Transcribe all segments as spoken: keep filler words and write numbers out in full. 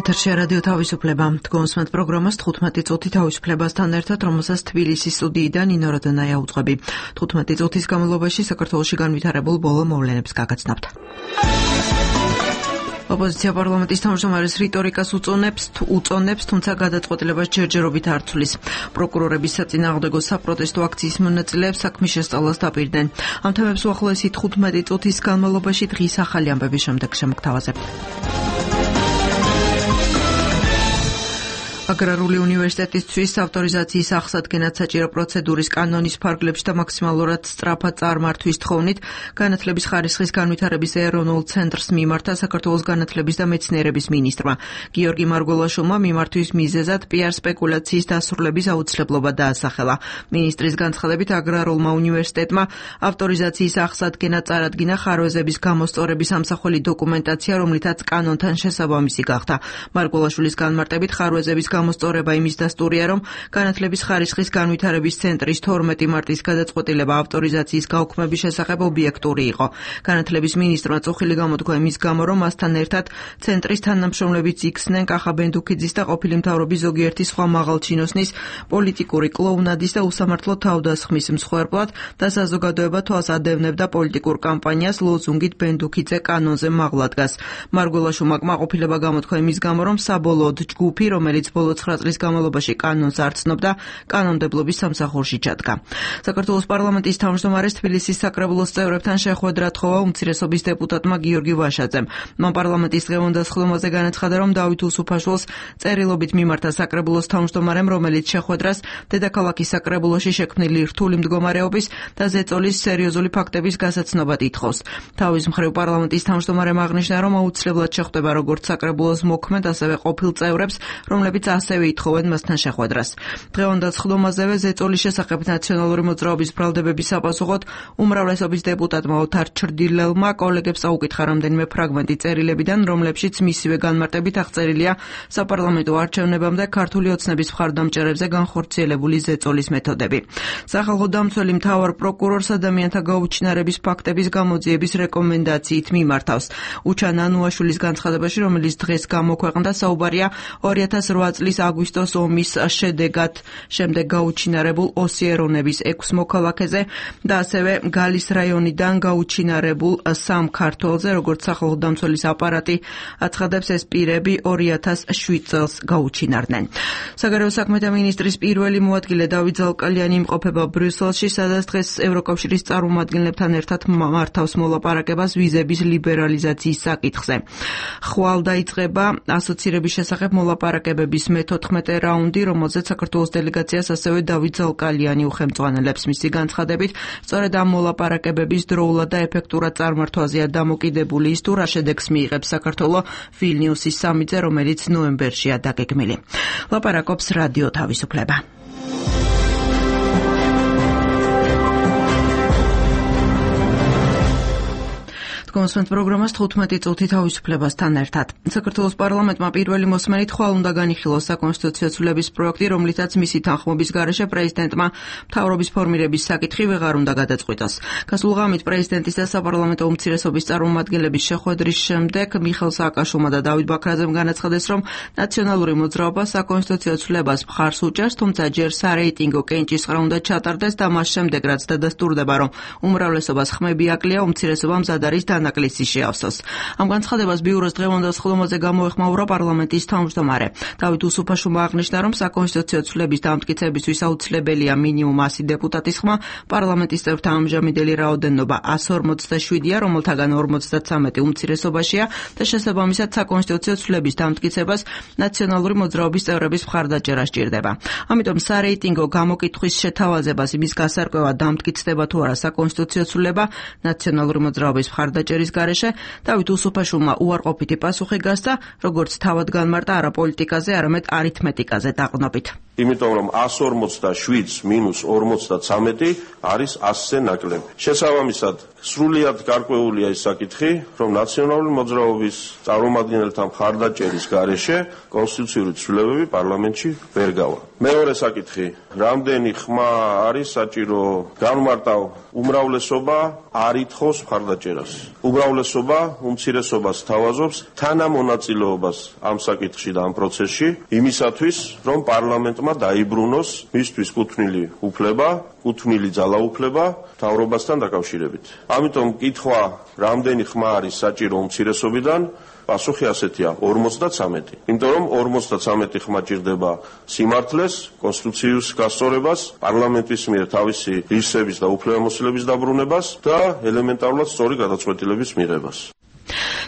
ეთერში რადიო თავისუფლება. თქვენსმენთ პროგრამას თხუთმეტი წუთი თავისუფლებასთან ერთად, რომელსაც თბილისის სტუდიიდან ნინო როდანაია უძღვები. თხუთმეტი წუთის განმავლობაში საქართველოში განვითარებულ ბოლო მოვლენებს გაგაცნობთ. ოპოზიცია პარლამენტის თავმჯდომარის რიტორიკას უწონებს, უწონებს, თუმცა გადაწყვეტილებას ჯერჯერობით არ ცვლის. პროკურორების საწინააღმდეგო საპროტესტო აქციის მონაწილეებს საქმის შესწავლას დაპირდნენ. ამ თემებს უახლოესი თხუთმეტი წუთის განმავლობაში დღის ახალი ამბების შემდეგ შემოგთავაზებთ. აგრარული უნივერსიტეტისთვის ავტორიზაციის აღსადგენად საჭირო პროცედურის კანონის ფარგლებში და მაქსიმალურად სწრაფად წარმართვის თხოვნით განათლების ხარისხის განვითარების ეროვნულ ცენტრს მიმართა საქართველოს განათლების და მეცნიერების მინისტრმა. გიორგი მარგველაშვილმა მიმართვის მიზეზად პიარ სპეკულაციის დასრულების აუცილებლობა დაასახელა. მინისტრის განცხადებით აგრარულმა უნივერსიტეტმა ავტორიზაციის აღსადგენად წარადგინა ხარვეზების გამოსწორების ამსახველი დოკუმენტაცია, რომლითაც კანონთან შესაბამისი გახდა. მარგველაშვილის განმარტებით ხარვეზების გამოსწორება იმის დასტურია, რომ განათლების ხარისხის განვითარების ცენტრის თორმეტი მარტის გადაწყვეტილება ავტორიზაციის გაუქმების შესახებ ობიექტური იყო. განათლების მინისტრმა წუხილი გამოთქვა იმის გამო, რომ მასთან ერთად ცენტრის თანამშრომლებიც იქცნენ კახა ბენდუქიძის და ყოფილი მთავრობის ზოგიერთი სხვა მაღალჩინოსნის პოლიტიკური კლოუნადის და უსამართლო თავდასხმის მსხვერპლად და საზოგადოება თვალს ადევნებდა პოლიტიკურ კამპანიას ლოზუნგით ბენდუქიძე კანონზე მაღლა დგას. მარგველაშვილმა კმაყოფილება გამოთქვა იმის გამო, რომ საბოლოოდ ჯგუფი, რომელიც ბოლო ცხრა წლის განმავლობაში კანონს არ ცნობდა, კანონმდებლობის სამსახურში ჩადგა. საქართველოს პარლამენტის თავმჯდომარეს თბილისის საკრებულოს წევრებთან შეხვედრა თხოვა უმცირესობის დეპუტატმა გიორგი ვაშაძემ. მან პარლამენტის დღევანდასხდომაზე განაცხადა, რომ დავით უსუფაშვილს წერილობით მიმართა საკრებულოს თავმჯდომარემ, რომელიც შეხვედრას დედაქალაქის საკრებულოში შექმნილი რთული მდგომარეობის და ზეწოლის სერიოზული ფაქტების გასაცნობად ითხოვს. თავის მხრივ პარლამენტის თავმჯდომარემ აღნიშნა, რომ აუცილებლად შეხვდება როგორც საკრებულოს მოქმედ, ასევე ყოფილ წევრებს, რომლებიც ასევე ითხოვენ მასთან შეხვედრას. დღევანდასხდომაზევე ზეწოლის შესახებ ნაციონალური მოძრაობის ბრალდებების საპასუხოდ უმრავლესობის დეპუტატმა ოთარ ჩრდილელმა კოლეგებს აუკითხა რამდენიმე ფრაგმენტი წერილებიდან, რომლებშიც მისივე განმარტებით აღწერილია საპარლამენტო არჩევნებამდე ქართული ოცნების მხარდამჭერებზე განხორციელებული ზეწოლის მეთოდები. სახალხო დამცველი მთავარ პროკურორს ადამიანთა გაუჩინარების ფაქტების გამოძიების რეკომენდაციით მიმართავს. უჩან ანუაშვილის განცხადებაში, რომელიც დღეს გამოქვეყნდა, საუბარია ორი ათას რვა წლის აგვისტოს ომის შედეგად შემდეგ გაუჩინარებულ ოსიერონების ექვს მოქალაქეზე და ასევე გალის რაიონიდან გაუჩინარებულ სამ ქართველზე, როგორც სახალხო დამცველის აპარატი აცხადებს, ეს პირები ორი ათას შვიდ წელს გაუჩინარდნენ. საგარეო საქმეთა მინისტრის პირველი მოადგილე დავით ზალკალიანი იმყოფება ბრიუსელში, სადაც დღეს ევროკავშირის წარმომადგენლებთან ერთად მართავს მოლაპარაკებას ვიზების ლიბერალიზაციის საკითხზე. ხვალ დაიწყება ასოცირების შესახებ მოლაპარაკებების მეთოთხმეტე რაუნდი, რომელზეც საქართველოს დელეგაციას ასევე დავით ზალკალიანი უხელმძღვანელებს. მისი განცხადებით, სწორედ ამ მოლაპარაკებების დროულად და ეფექტურად წარმართვაზეა დამოკიდებული ის, თუ რა შედეგს მიიღებს საქართველო ვილნიუსის სამიტზე, რომელიც ნოემბერშია დაგეგმილი. ლაპარაკობს რადიო თავისუფლება. კონსვენთ პროგრამას თხუთმეტი წუთი თავისუფლებასთან ერთად. საქართველოს პარლამენტმა პირველი მოსმენით ხვალ უნდა განიხილოს საკონსტიტუციო ცვლილების პროექტი, რომლითაც მისი თანხმობის გარეშე პრეზიდენტმა მთავრობის ფორმირების საკითხი ვეღარ უნდა გადაწყვიტოს. გასულ ღამით პრეზიდენტის და საპარლამენტო უმცირესობის წარმომადგენლების შეხვედრის შემდეგ მიხეილ სააკაშვილმა და დავით ბაქრაძემ განაცხადეს, რომ ნაციონალური მოძრაობა საკონსტიტუციო ცვლილებას მხარს უჭერს, თუმცა ჯერ სარეიტინგო კენჭისყრა უნდა ჩატარდეს და მას შემდეგ, რაც დადასტურდება, რომ უმრავლესობას ხმები აკლია, უმცირესობა მზად არის ნაკლისი შეავსოს. ამ განცხადებას ბიუროს დღევანდასხდომაზე გამოეხმაურა პარლამენტის თავმჯდომარე. დავით უსუფაშვილმა აღნიშნა, რომ საკონსტიტუციო ცვლილების დამტკიცებისთვის აუცილებელია მინიმუმ ასი დეპუტატის ხმა. პარლამენტის წევრთა ამჟამინდელი რაოდენობა ასი ორმოცდაშვიდია, რომელთაგან ორმოცდაცამეტი უმცირესობაშია და შესაბამისად საკონსტიტუციო ცვლილების დამტკიცებას ნაციონალური მოძრაობის წევრების მხარდაჭერა სჭირდება. ამიტომ სარეიტინგო გამოკითხვის შეთავაზებას, იმის გასარკვევად დამტკიცდება თუ არა საკონსტიტუციო ცვლილება ნაციონალური მოძრაობის მხარდაჭერა ჭერის გარეშე დავით უსუფაშვილმა უარყოფითი პასუხი გასცა, როგორც თავად განმარტა არა პოლიტიკაზე, არამედ არითმეტიკაზე დაყრდნობით. იმიტომ რომ ასი ორმოცდაშვიდს მინუს ორმოცდაცამეტი არის ასზე ნაკლები. შესაბამისად, სრულიად გარკვეულია ის საკითხი, რომ ნაციონალური მოძრაობის წარმომადგენელთა მხარდაჭერის გარეშე კონსტიტუციური ცვლილებები პარლამენტში ვერ გავა. მეორე საკითხი, რამდენი ხმა არის საჭირო განმარტავ უმრავლესობა არ ითხოვს მხარდაჭერას. უმრავლესობა უმცირესობას თავაზობს თანამონაწილეობას ამ საკითხში და ამ პროცესში იმისათვის, რომ პარლამენტმა დაიბრუნოს მისთვის კუთვნილი უფლება, კუთვნილი ძალაუფლება მთავრობასთან დაკავშირებით. ამიტომ კითხვა, რამდენი ხმა არის საჭირო უმცირესობიდან, პასუხი ასეთია ორმოცდათვრამეტი. იმიტომ რომ ორმოცდათვრამეტი ხმა ჭირდება სიმართლეს, კონსტიტუციის გასწორებას, პარლამენტის მიერ თავისი ღირსების და უფლებამოსილების დაბრუნებას და ელემენტარულად სწორი გადაწყვეტილების მიღებას.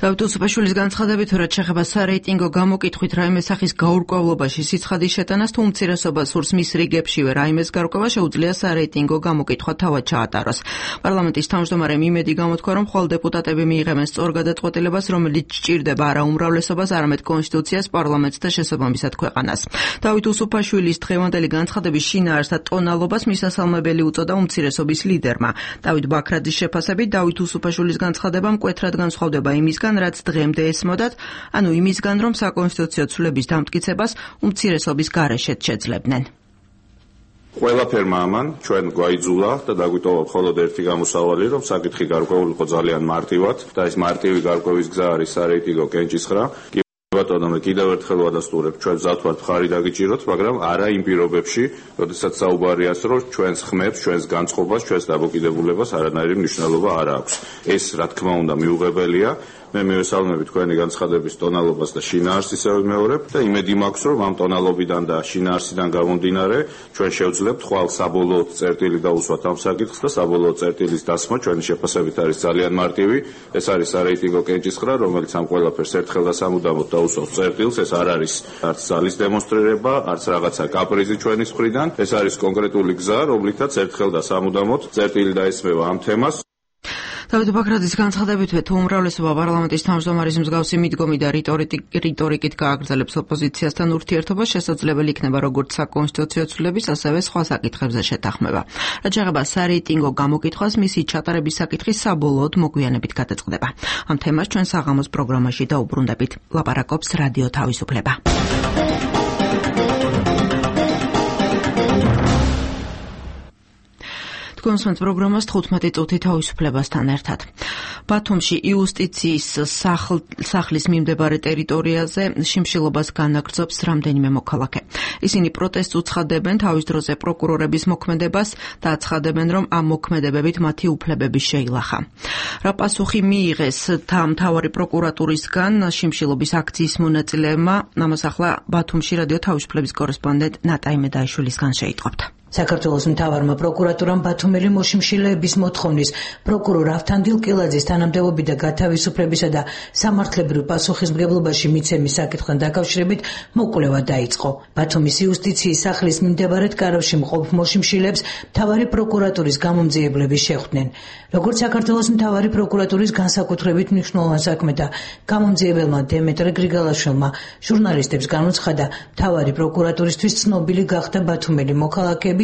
დავით უსუფაშვილის განცხადებით, რაც შეეხება სარეიტინგო გამოკითხვით რაიმე სახის გაურკვევლობაში სიცხადის შეტანას თუ უმცირესობას სურს მის რიგებშივე რაიმეს გარკვევა შეუძლია სარეიტინგო გამოკითხვა თავად ჩაატაროს. პარლამენტის თავმჯდომარემ იმედი გამოთქვა, რომ მხოლოდ დეპუტატები მიიღებენ სწორ გადაწყვეტილებას, რომელიც სჭირდება არა უმრავლესობას, არამედ კონსტიტუციას, პარლამენტს და შესაბამისად ქვეყანას. დავით უსუფაშვილის დღევანდელი განცხადების შინაარსს და ტონალობას მისასალმებელი უწოდა უმცირესობის ლიდერმა. დავით ბაქრაძის შეფასებით, დავით უსუფაშვილის განცხადება მკვეთრად განსხვავდება იმისგან, რაც დღემდე ესმოდათ, ანუ იმისგან, რომ საკონსტიტუციო ცვლილების დამტკიცებას უმცირესობის გარეშეც შეძლებდნენ. ყველაფერმა ამან ჩვენ გვაიძულა და დაგვიტოვა მხოლოდ ერთი გამოსავალი, რომ საკითხი გარკვეული იყო ძალიან მარტივად და ეს მარტივი გარკვევის გზა არის სარეიტინგო კენჭისხრა. ბატონო, მე კიდევ ერთხელ ვადასტურებ, ჩვენ ვზავთ მხარი დაგიჭიროთ, მაგრამ არა იმ პირობებში, როდესაც საუბარია ის, რომ ჩვენს ხმებს, ჩვენს განწყობას, ჩვენს დამოკიდებულებას არანაირი მნიშვნელობა არ აქვს. ეს, რა თქმა უნდა, მიუღებელია. მე მივესალმები თქვენი განცხადების ტონალობას და შინაარსს ისევე ვიმეორებ და იმედი მაქვს, რომ ამ ტონალობიდან და შინაარსიდან გამომდინარე ჩვენ შევძლებთ ხვალ საბოლოო წერტილი დაუსვათ ამ საკითხს და საბოლოო წერტილის დასმა ჩვენი შეფასებით არის ძალიან მარტივი. ეს არის სარეიტინგო კენჭისხრა, რომელიც ამ ყველაფერს ერთხელ და სამუდამოდ დაუსვავს წერტილს. ეს არ არის არც ძალის დემონსტრირება, არც რაღაცა კაპრიზი ჩვენის მხრიდან. ეს არის კონკრეტული გზა, რომლითაც ერთხელ და სამუდამოდ წერტილი დაესმევა ამ თემას. დავით ბაქრაძის განცხადებითვე თუ უმრავლესობა პარლამენტის თავმჯდომარის მსგავსი მიდგომი და რიტორიკით გააგრძელებს ოპოზიციასთან ურთიერთობას, შესაძლებელი იქნება როგორც საკონსტიტუციო ცვლილების, ასევე სხვა საკითხებზე შეთანხმება. რაც შეეხება სარეიტინგო გამოკითხვას, მისი ჩატარების საკითხი საბოლოოდ მოგვიანებით გადაწყდება. ამ თემას ჩვენ საღამოს პროგრამაში დაუბრუნდებით. ლაპარაკობს რადიო თავისუფლება. თქვენს პროგრამას თხუთმეტი წუთი თავისუფლებასთან ერთად. ბათუმში იუსტიციის სახლის მიმდებარე ტერიტორიაზე შიმშილობას განაგრძობს რამდენიმე მოქალაქე. ისინი პროტესტს უცხადებენ თავის დროზე პროკურორების მოქმედებას და აცხადებენ, რომ ამ მოქმედებებით მათი უფლებები შეილახა. რა პასუხი მიიღეს მთავარი პროკურატურისგან შიმშილობის აქციის მონაწილეებმა, ამას ახლა ბათუმში რადიო თავისუფლების კორესპონდენტ ნატაი მედაიშვილისგან შეიტყობთ. საქართველოს მთავარმა პროკურატურამ ბათუმელი მოშიმშილეების მოთხოვნის პროკურორ ავთანდილ კილაძის თანამდებობი და გათავისუფლებისა და სამართლებრივ პასუხისმგებლობაში მიცემის საკითხთან დაკავშირებით მოკვლევა დაიწყო. ბათუმის იუსტიციის სახლის მიმდებარედ კარავში მყოფ მოშიმშილეებს მთავარი პროკურატურის გამომძიებლები შეხვდნენ. როგორც საქართველოს მთავარი პროკურატურის განსაკუთრებით მნიშვნელოვან საქმე და გამომძიებელმა დემეტრე გრიგალაშვილმა ჟურნალისტებს განუცხადა, მთავარი პროკურატურისთვის ცნობილი გახდა ბათუმელი მოქალაქეები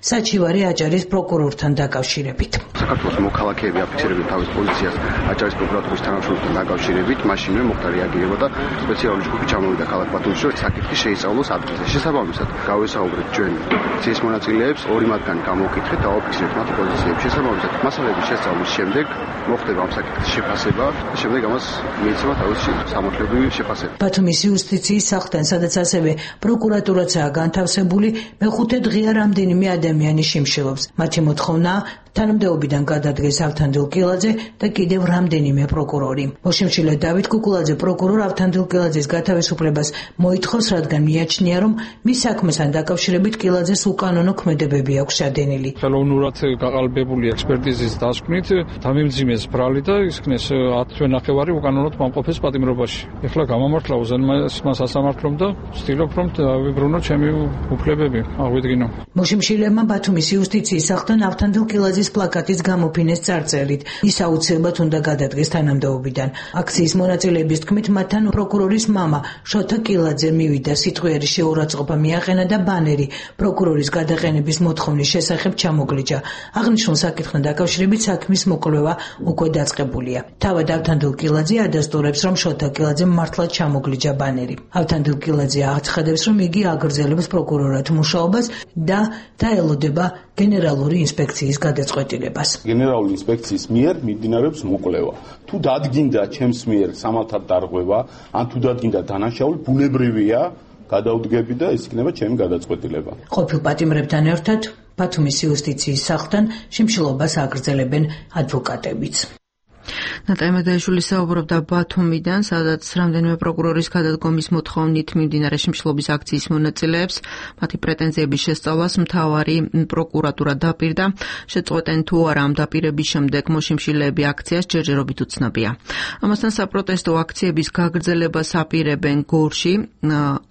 საჩივარი აჭარის პროკურორთან დაკავშირებით. საქართველოს მოქალაქეები აფიქსირებენ თავის პოზიციას აჭარის პროკურატურის თანამშრომელთან დაკავშირებით, მაშინვე მოხდა რეაგირება და სპეციალური ჯგუფი ჩამოვიდა ქალაქ ბათუმში, რომ საკითხი შეისწავლოს ადგილზე. შესაბამისად, გავესაუბრეთ ჩვენ ცის მონაწილეებს, ორი მათგანი გამოვკითხეთ და აფიქსირეთ მათ პოზიციებს. შესაბამისად, მასალების შესწავლის შემდეგ მოხდება ამ საკითხის შეფასება და შემდეგ ამას მიეცემა თავისი სამართლებრივი შეფასება. ბათუმის იუსტიციის სახლთან, სადაც ასევე პროკურატურაცაა განთავსებული, მეხუთე დღეა რამდენი მე ადამიანი შიმშილობს. მათი მოთხოვნა თანამდებობიდან გადადგეს ავთანდილ კილაძე და კიდევ რამდენიმე პროკურორი. მოშიმშილე დავით კუკულაძე პროკურორ ავთანდილ კილაძის გათავისუფლებას მოითხოვს, რადგან მიაჩნია, რომ მის საქმესთან დაკავშირებით კილაძეს უკანონო ქმედებები აქვს შადენილი. ხელოვნურად გაყალბებული ექსპერტიზის დასკვნით დამიმძიმეს ბრალი და ისქნეს ათი ნახევარი უკანონოდ მომყოფეს პატიმრობაში. ეხლა გამამართლა უზენაესმა სასამართლომ და ვცდილობ, რომ დავიბრუნო ჩემი უფლებები, აღვიდგინო. მოშიმშილებმა ბათუმის იუსტიციის სახლთან ავთანდილ კილაძის გაზის პლაკატის გამოფინეს წარწერით. ის აუცილებლად უნდა გადადგეს თანამდებობიდან. აქციის მონაწილეების თქმით, მათთან პროკურორის მამა შოთა კილაძე მივიდა, სიტყვიერი შეურაცხყოფა მიაყენა და ბანერი პროკურორის გადაყენების მოთხოვნის შესახებ ჩამოგლიჯა. აღნიშნულ საკითხთან დაკავშირებით საქმის მოკვლევა უკვე დაწყებულია. თავად ავთანდილ კილაძე ადასტურებს, რომ შოთა კილაძემ მართლაც ჩამოგლიჯა ბანერი. ავთანდილ კილაძე აცხადებს, რომ იგი აგრძელებს პროკურორად მუშაობას და დაელოდება გენერალური ინსპექციის გადაწყვეტილებას. გენერალური ინსპექციის მიერ მიმდინარეობს მოკვლევა. თუ დადგინდა ჩემს მიერ სამართალ დარღვევა, ან თუ დადგინდა დანაშაული, ბუნებრივია გადაუდგები და ის იქნება ჩემი გადაწყვეტილება. ყოფილ პატიმრებთან ერთად ბათუმის იუსტიციის სახლთან შიმშილობას აგრძელებენ ადვოკატებიც. ნატალია მედაიშვილი საუბრობდა ბათუმიდან, სადაც რამდენიმე პროკურორის გადადგომის მოთხოვნით მიმდინარე შიმშილობის აქციის მონაწილეებს მათი პრეტენზიების შესწავლას მთავარი პროკურატურა დაპირდა. შეწყვეტენ თუ არა ამ დაპირების შემდეგ მოშიმშილეები აქციას ჯერჯერობით უცნობია. ამასთან საპროტესტო აქციების გაგრძელებას აპირებენ გორში.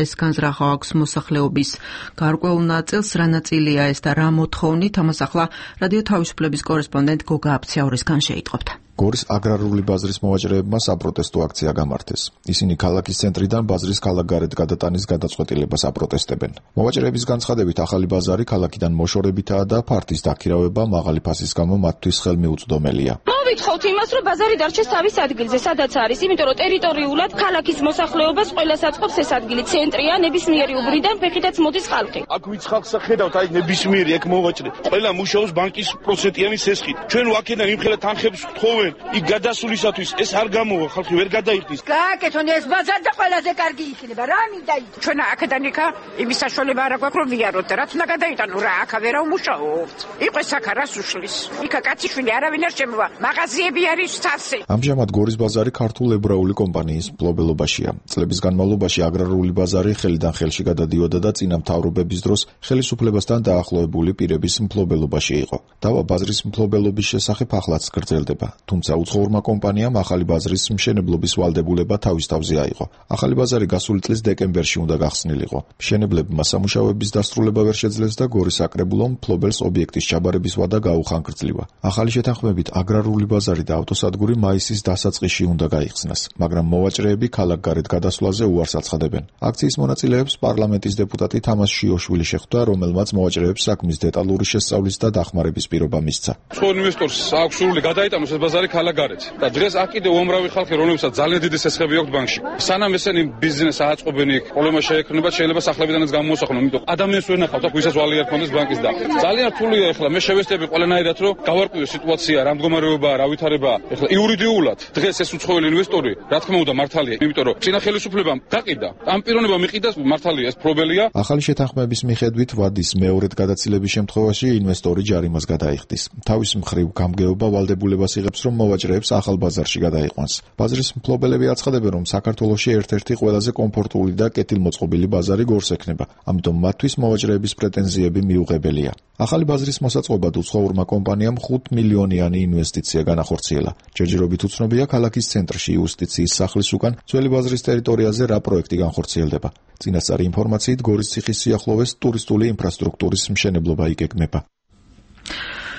ეს განზრახვა აქვს მოსახლეობის გარკვეულ ნაწილს, რა ნაწილია ეს და რა მოთხოვნით, ამას ახლა რადიო თავისუფლების კორესპონდენტ გოგა აფციაურისგან შეიტყობთ. გორის აგრარული ბაზრის მოვაჭრეებმა საპროტესტო აქცია გამართეს. ისინი ქალაქის ცენტრიდან ბაზრის ქალაქგარეთ გადატანის გადაწყვეტილებას აპროტესტებენ. მოვაჭრეების განცხადებით, ახალი ბაზარი ქალაქიდან მოშორებითაა და ფართის დაქირავება მაღალი ფასის გამო მათთვის ხელმიუწვდომელია. მოვითხავთ იმას, რომ ბაზარი დარჩეს თავის ადგილზე, სადაც არის, იმიტომ რომ ტერიტორიულად ქალაქის მოსახლეობას ყველას აწყობს ეს ადგილი. ცენტრია, ნებისმიერი უბრიდან ფეხითაც მოდის ხალხი. აქ ვიც ხალხს ხედავთ, აი ნებისმიერი აქ მოვაჭრე. ყველა მუშაობს ბანკის პროცენტიანი სესხით. ჩვენ ვაკედან იმხელა თანხებს ვთხოვენ. იქ გადასვლისათვის ეს არ გამოვა, ხალხი ვერ გადაიხდის. გააკეთონ ეს ბაზარი და ყველაზე კარგი იქნება. რა მინდა იქ? ჩვენ აქედან იქა იმის საშუალება არ აქვს, რომ ვიაროთ და რაც უნდა გადაიტანო რა, აქ ვერ ვმუშაობთ. იყო ეს აქ რას უშლის? იქა კაციშვილი არავინ არ შემოვა. მაღაზიები არის სავსე. ამჟამად გორის ბაზარი ქართულ ებრაული კომპანიის მფლობელობაშია. წლების განმავლობაში აგრარული ბაზარი ხელიდან ხელში გადადიოდა და წინა მთავრობების დროს ხელისუფლებასთან დაახლოებული პირების მფლობელობაში იყო. დავა ბაზრის მფლობელობის შესახებ ახლაც გრძელდება. თუმცა უცხოურმა კომპანიამ ახალი ბაზრის მშენებლობის ვალდებულება თავის თავზე აიღო. ახალი ბაზარი გასული წლის დეკემბერში უნდა გახსნილიყო. მშენებლებმა სამუშაოების დასრულება ვერ შეძლეს და გორის საკრებულომ მფლობელს ობიექტის ჩაბარების ვადა გაუხანგრძლივა. ახალი შეთანხმებით აგრარული ბაზარი და ავტოსადგური მაისის დასაწყისში უნდა გაიხსნას, მაგრამ მოვაჭრეები ქალაქგარეთ გადასვლაზე უარს აცხადებენ. აქციის მონაწილეებს პარლამენტის დეპუტატი თამას შიოშვილი შეხვდა, რომელმაც მოვაჭრეებს საქმის დეტალური შესწავლის და დახმარების პირობა მისცა. სხვა ინვესტორს აქვს სურვილი გადაიტანოს ეს ბაზარი ქალაქგარეთ და დღეს აქ კიდევ უამრავი ხალხი, რომლებსაც ძალიან დიდი სესხები აქვს ბანკში. სანამ ესენი ბიზნეს აწყობენ იქ, პრობლემა შეექმნება, შეიძლება სახლებიდანაც გამოსახლონ, იმიტომ ადამიანს ვერ ნახავთ, აქ ვისაც ვალი არ ქონდეს ბანკის და ძალიან რთულია ახლა მე შევესწრები ყველანაირად, რომ გავარკვიო სიტუაცია, რა მდგომარეობაა, რა ვითარებაა. ახლა იურიდიულად დღეს ეს უცხოელი ინვესტორი, რა თქმა უნდა მართალია, იმიტომ რომ წინა ხელისუფლებამ გაყიდა, ამ პიროვნებამ იყიდა, მართალია ეს პრობლემია. ახალი შეთანხმების მიხედვით ვადის მეორედ გადაცილების შემთხვევაში ინვესტორი ჯარიმას გადაიხდის. თავის მხრივ გამგეობა ვალდებულებას იღებს, რომ მოვაჭრეებს ახალ ბაზარში გადაიყვანს. ბაზრის მფლობელები აცხადებენ, რომ საქართველოში ერთ-ერთი ყველაზე კომფორტული და კეთილმოწყობილი ბაზარი გორს ექნება, ამიტომ მათთვის მოვაჭრეების პრეტენზიები მიუღებელია. ახალი ბაზრის მოსაწყობად უცხოურმა კომპანიამ ხუთ მილიონიანი ინვესტიცია განახორციელა. ჯერჯერობით უცნობია ქალაქის ცენტრში იუსტიციის სახლის უკან ძველი ბაზრის ტერიტორიაზე რა პროექტი განხორციელდება. წინასწარი ინფორმაციით გორის ციხის სიახლოვეს ტურისტული ინფრასტრუქტურის მშენებლობა იგეგმება.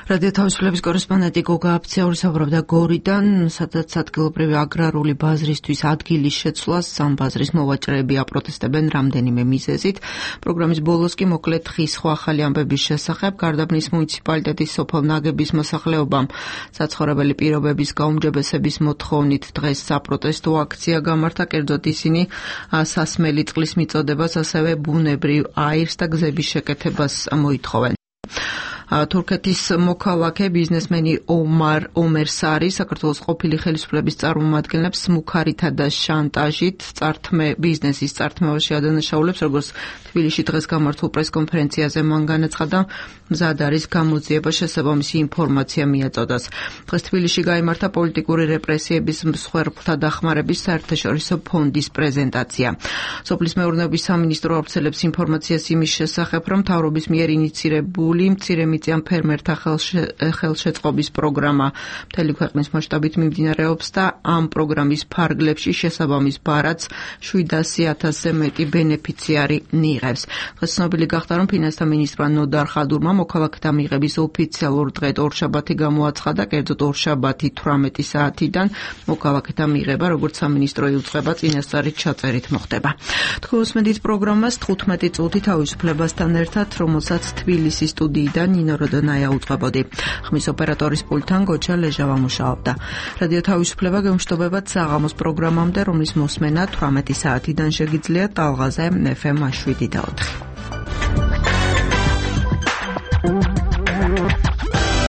რადიო თავისუფლების კორესპონდენტი გოგა აფციაური საუბრობდა გორიდან, სადაც ადგილობრივი აგრარული ბაზრისთვის ადგილის შეცვლას სამ ბაზრის მოვაჭრეები აპროტესტებენ რამდენიმე მიზეზით. პროგრამის ბოლოს კი მოკლედ ხის სხვა ახალი ამბების შესახებ გარდაბნის მუნიციპალიტეტის სოფელ ნაგების მოსახლეობამ საცხოვრებელი პირობების გაუმჯობესების მოთხოვნით დღეს საპროტესტო აქცია გამართა, კერძოდ ისინი სასმელი წყლის მიწოდებას, ასევე ბუნებრივ აირს და გზების შეკეთებას მოითხოვენ. თურქეთის მოქალაქე ბიზნესმენი ომარ ომერსარი საქართველოს ყოფილი ხელისუფლების წარმომადგენლებს მუქარითა და შანტაჟით წართმე ბიზნესის წართმევაში ადანაშაულებს, როგორც თბილისში დღეს გამართულ პრესკონფერენციაზე მან განაცხადა, მზად არის გამოძიება შესაბამისი ინფორმაცია მიაწოდოს. დღეს თბილისში გაიმართა პოლიტიკური რეპრესიების მსხვერპლთა დახმარების საერთაშორისო ფონდის პრეზენტაცია. სოფლის მეურნეობის სამინისტრო ავრცელებს ინფორმაციას იმის შესახებ, რომ მთავრობის მიერ ინიცირებული მცირე მიწიან ფერმერთა ხელშეწყობის პროგრამა მთელი ქვეყნის მასშტაბით მიმდინარეობს და ამ პროგრამის ფარგლებში შესაბამის ბარათს შვიდასი ათასზე მეტი ბენეფიციარი მიიღებს. დღეს ცნობილი გახდა, რომ ფინანსთა მინისტრმა ნოდარ ხადურმა მოქალაქეთა მიღების ოფიციალურ დღედ ორშაბათი გამოაცხადა, კერძოდ ორშაბათი თვრამეტი საათიდან მოქალაქეთა მიღება, როგორც სამინისტრო იუწყება, წინასწარი ჩაწერით მოხდება. თქვენ უსმენთ პროგრამას თხუთმეტი წუთი თავისუფლებასთან ერთად, რომელსაც თბილისის სტუდიიდან ნინო როდონაია უწყებოდი. ხმის ოპერატორის პულტთან გოჩა ლეჟავა მუშაობდა. რადიო თავისუფლება გემშვიდობებათ საღამოს პროგრამამდე, რომლის მოსმენა თვრამეტი საათიდან შეგიძლიათ ტალღაზე ეფ ემ შვიდი და ოთხი.